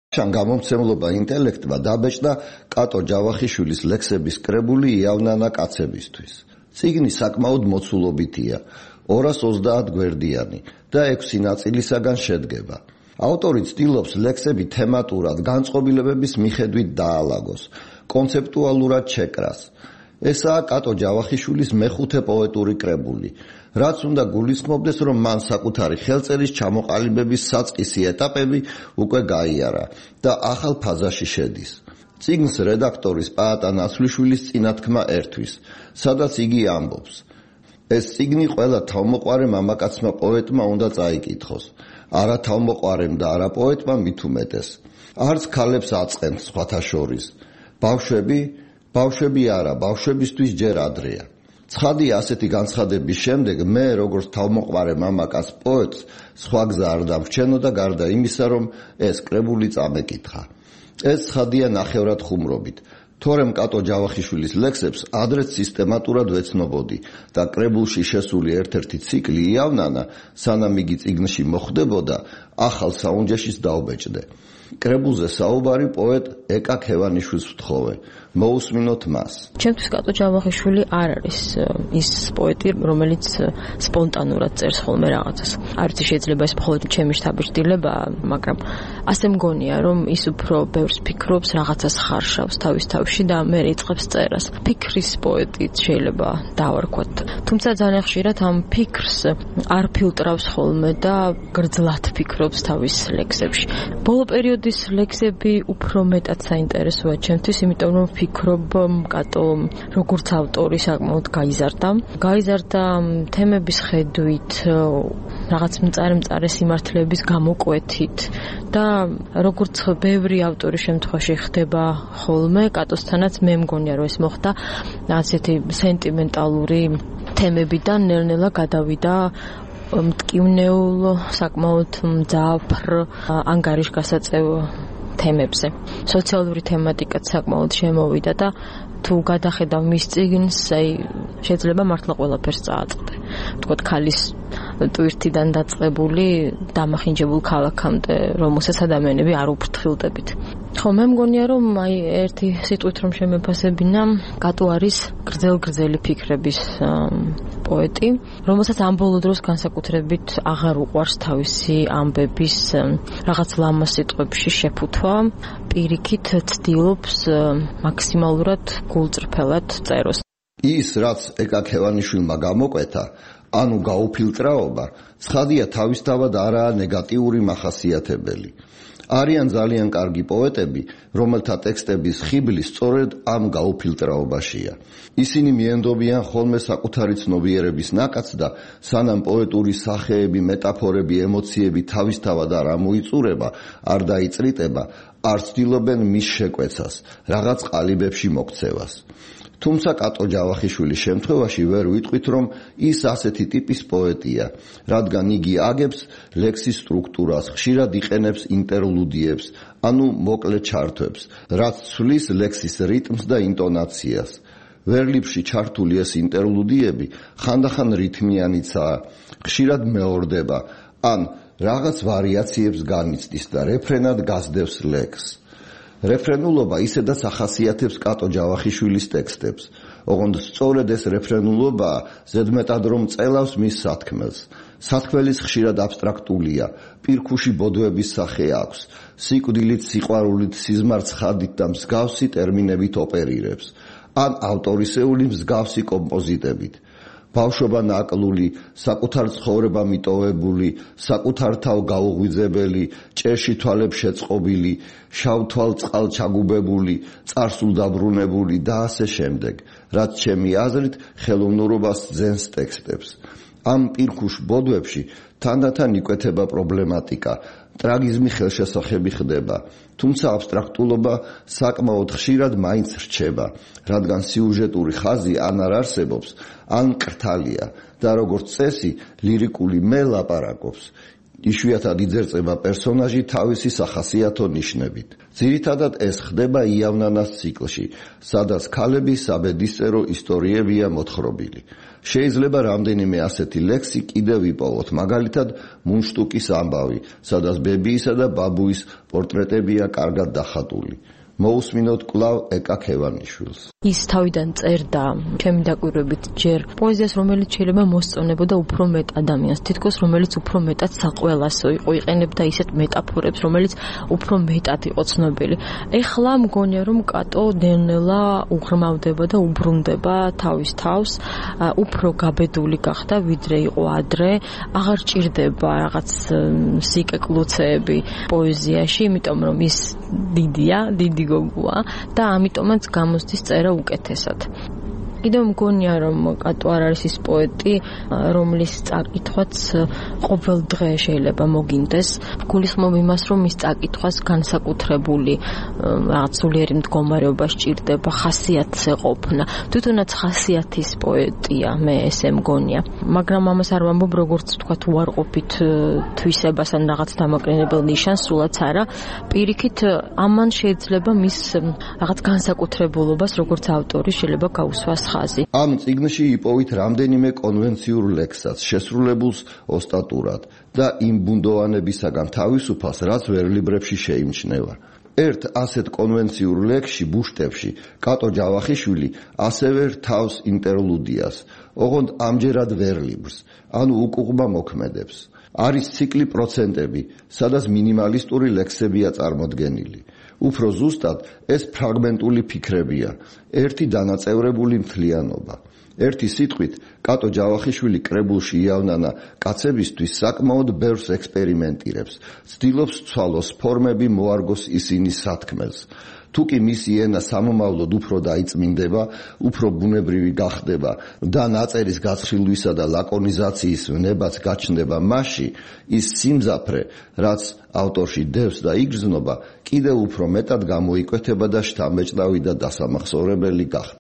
შან გამომცემლობა ინტელექტმა დაბეჭდა კატო ჯავახიშვილის ლექსების კრებული იავნანა კაცებისთვის. წიგნი საკმაოდ მოცულობითია, 230 გვერდიანი და 6 ნაწილისაგან შედგება. ავტორი ცდილობს ლექსები თემატურად განწყობილებების მიხედვით დაალაგოს, კონცეპტუალურად შეკრას. ესაა კატო ჯავახიშვილის მეხუთე პოეტური კრებული, რაც უნდა გულისხმობდეს, რომ მან საკუთარი ხელწერის ჩამოყალიბების საწყისი ეტაპები უკვე გაიარა და ახალ ფაზაში შედის. წიგნს რედაქტორის პაატა ნაცვლიშვილის წინათქმა ერთვის, სადაც იგი ამბობს: ეს წიგნი ყველა თავმოყვარე მამაკაცმა პოეტმა უნდა წაიკითხოს, არა თავმოყვარემ და არა პოეტმა მით უმეტეს. არც ქალებს აწყენს სხვათა შორის. ბავშვები არა, ბავშვებისთვის ჯერ ადრეა. ცხადია, ასეთი განცხადების შემდეგ მე, როგორც თავმოყვარე მამაკაც პოეტს, სხვა გზა არ დამრჩენოდა გარდა იმისა, რომ ეს კრებული წამეკითხა. ეს ცხადია ნახევრად ხუმრობით, თორემ კატო ჯავახიშვილის ლექსებს ადრეც სისტემატურად ვეცნობოდი და კრებულში შესული ერთ-ერთი ციკლი იავნანა, სანამ იგი წიგნში მოხვდებოდა, ახალ საუნჯეშიც დაუბეჭდე. კრებულზე საუბარი პოეტ ეკა ქევანიშვილს ვთხოვე. მოусმინოთ მას. ჩემთვის კატო ჯავახიშვილი არ არის ის პოეტი, რომელიც სპონტანურად წერს ხოლმე რაღაცას. არც შეიძლება ეს მხოლოდ ჩემი შთაბეჭდილებაა, მაგრამ ასე მგონია, რომ ის უფრო ბევრს ფიქრობს, რაღაცას ხარშავს თავის თავში და მე იწყებს წერას. ფიქრის პოეტიც შეიძლება დავარქვათ. თუმცა ძალიან ხშირად ამ ფიქრს არ ფილტრავს ხოლმე და გრძლად ფიქრობს თავის ლექსებში. ბოლო პერიოდის ლექსები უფრო მეტად საინტერესოა ჩემთვის, იმიტომ რომ ფიქრობ კატო როგორც ავტორი საკმაოდ გაიზარდა თემების ხედვით, რაღაც მწარე სიმართლეების გამოკვეთით და როგორც ბევრი ავტორის შემთხვევაში ხდება ხოლმე, კატოსთანაც მე მგონია რომ ეს მოხდა, ასეთი სენტიმენტალური თემებიდან ნელ-ნელა გადავიდა მტკივნეულ, საკმაოდ მძაფრ, ანგარიშგასაწევ თემებზე. სოციალური თემატიკაც საკმაოდ შემოვიდა და თუ გადახედავ მის წიგნს, შეიძლება მართლა ყველაფერს წააწყდე. ვთქვათ, ქალის ტვირთიდან დაწყებული დამახინჯებულ ქალაქამდე, რომელსაც ადამიანები არ უფრთხილდებით. ხო, მე მგონია, რომ ერთი სიტყვით რომ შემეფასებინა, კატო არის გრძელი ფიქრების პოეტი, რომელსაც ამ ბოლო დროს განსაკუთრებით აღარ უყვარს თავისი ამბების რაღაც ლამა სიტყვებში შეფუთვა, პირიქით ცდილობს მაქსიმალურად გულწრფელად წეროს. ის, რაც ეკა ქევანიშვილმა გამოკვეთა, ანუ გაუფილტრაობა, ცხადია თავისთავად არაა ნეგატიური მახასიათებელი. არიან ძალიან კარგი პოეტები, რომელთა ტექსტების ხიბლი სწორედ ამ გაუფილტრაობაშია. ისინი მიენდობიან ხოლმე საკუთარი ცნობიერების ნაკადს და სანამ პოეტური სახეები, მეტაფორები, ემოციები თავისთავად არ ამოიწურება, არ დაიწრიტება, არ ცდილობენ მის შეკვეცას, რაღაც ყალიბებში მოქცევას. თუმცა კატო ჯავახიშვილის შემთხვევაში ვერ ვიტყვით, რომ ის ასეთი ტიპის პოეტია, რადგან იგი აგებს ლექსის სტრუქტურას, ხშირად იყენებს ინტერლუდიებს, ანუ მოკლე ჩართვებს, რაც ცვლის ლექსის რიტმს და ინტონაციას. ვერლიფში ჩართული ეს ინტერლუდიები ხანდახან რითმიანიცაა, ხშირად მეორდება, ან რაღაც ვარიაციებს განიცდის და რეფრენად გასდევს ლექსს. რეფრენულობა ისედაც ახასიათებს კატო ჯავახიშვილის ტექსტებს. ოღონდ სწორედ ეს რეფრენულობაა ზედმეტად რომ წელავს მის სათქმელს. სათქმელის ხშირად აბსტრაქტულია, პირქუში ბოდვების სახე აქვს, სიკვდილით, სიყვარულით, სიზმარცხადით და მსგავსი ტერმინებით ოპერირებს, ან ავტორისეული მსგავსი კომპოზიტებით. ბავშვობა ნაკლული, საკუთარ ცხოვრება მიტოვებული, საკუთარ თავ გაუღვიძებელი, ჭერში თვალებს შეწყობილი, შავ თვალ წყალ ჩაგუბებული, წარსულ დაბრუნებული და ასე შემდეგ, რაც ჩემი აზრით ხელოვნურობას ძენს ტექსტებს. ამ პირქუშ ბოდვებში თანდათან იკვეთება პრობლემატიკა, ტრაგიზმი ხელშესახები ხდება, თუმცა აბსტრაქტულობა საკმაოდ ხშირად მაინც რჩება, რადგან სიუჟეტური ხაზი ან არ არსებობს, ან კრთალია და როგორც წესი ლირიკული მე ლაპარაკობს. იშვიათად იძერწება პერსონაჟი თავისი სახასიათო ნიშნებით. ძირითადად ეს ხდება იავნანას ციკლში, სადაც ქალები საბედისწერო ისტორიებია მოთხრობილი. შეიძლება რამდენიმე ასეთი ლექსი კიდევ ვიპოვოთ, მაგალითად მუნშტუკის ამბავი, სადაც ბებიისა და ბაბუის პორტრეტებია კარგად დახატული. მოусმინოთ კვლავ ეკა ქევანიშვილს. ის თავიდან წერდა, ჩემი დაკვირვებით, ჯერ პოეზიას, რომელიც შეიძლება მოსწონებოდა უფრო მეტ ადამიანს, თითქოს რომელიც უფრო მეტად საყველასო იყო, იყენებდა ისეთ მეტაფორებს, რომელიც უფრო მეტად იყო ცნობილი. ეხლა მგონია, რომ კატო ნელ-ნელა უღრმავდება და უბრუნდება თავის თავს, უფრო გაბედული გახდა, ვიდრე იყო ადრე, აღარ ჭირდება რაღაც სიკეკლუცეები პოეზიაში, იმიტომ რომ ის დიდია, დიდი გოგოა და ამიტომაც გამოსდის წერა უკეთესად. კიდევ მგონია, რომ კატო არ არის ის პოეტი, რომლის წაკითხვაც ყოველ დღე შეიძლება მოგინდეს. გულისხმობ იმას, რომ ის წაკითხვას განსაკუთრებული რაღაც სულიერი მდგომარეობა სჭირდება, ხასიათს ეყოფნა. თვითონაც ხასიათის პოეტია, მე ესე მგონია. მაგრამ ამას არ ვამბობ, როგორც ვთქვათ, უარყოფით თვისებას ან რაღაც დამაკრინებელ ნიშანს, სულაც არა. პირიქით, ამან შეიძლება მის რაღაც განსაკუთრებულობას, როგორც ავტორი, შეიძლება გაუსვას ხაზი. ამ წიგნში იპოვით რამდენიმე კონვენციურ ლექსსაც, შესრულებულს ოსტატურად და იმ ბუნდოვანებისაგან თავისუფალს, რაც ვერლიბრებში შეიმჩნევა. ერთ ასეთ კონვენციურ ლექსში, ბუშტებში, კატო ჯავახიშვილი ასევე რთავს ინტერლუდიას, ოღონდ ამჯერად ვერლიბრს, ანუ უკუღმა მოქმედებს. არის ციკლი პროცენტები, სადაც მინიმალისტური ლექსებია წარმოდგენილი. უფრო ზუსტად ეს ფრაგმენტული ფიქრებია, ერთი დანაწევრებული მთლიანობა. ერთი სიტყვით, კატო ჯავახიშვილი კრებულში იავნანა კაცებისთვის საკმაოდ ბევრს ექსპერიმენტირებს, ცდილობს ცვალოს ფორმები, მოარგოს ისინი სათქმელს. თუკი მისი ენა სამომავლოდ უფრო დაიწმინდება, უფრო ბუნებრივი გახდება და ნაწერის გაცხრილვისა და ლაკონიზაციის ვნებაც გაჩნდება მასში, ის სიმძაფრე, რაც ავტორში დევს და იგრძნობა, კიდევ უფრო მეტად გამოიკვეთება და შთამბეჭდავი და დასამახსოვრებელი გახდება.